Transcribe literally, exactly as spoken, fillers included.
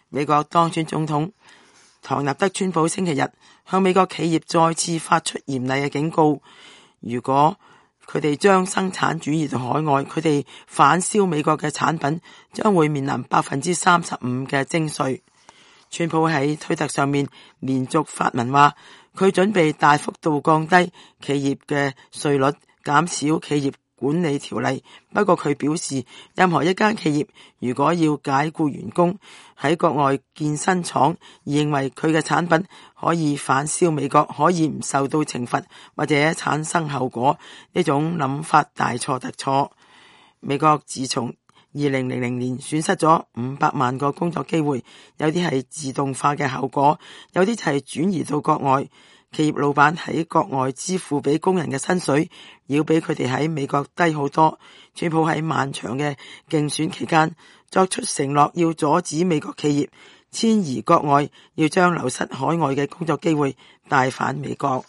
美國當選總統唐納德川普星期日向美國企業再次發出嚴厲嘅警告，如果佢哋將生產轉移到海外，佢哋反銷美國嘅產品將會面臨百分之三十五嘅徵稅。川普喺推特上面連續發文話，佢準備大幅度降低企業嘅稅率，減少企業管理條例。不過佢表示，任何一間企業如果要解僱員工喺國外建新廠，而認為佢嘅產品可以反銷美國，可以唔受到懲罰或者產生後果，呢種諗法大錯特錯。美國自從二零零零年損失咗五百萬個工作機會，有啲係自動化嘅後果，有啲就係轉移到國外。企業老闆喺國外支付俾工人嘅薪水，要比佢哋喺美國低好多。川普喺漫長嘅競選期間作出承諾，要阻止美國企業遷移國外，要將流失海外嘅工作機會帶返美國。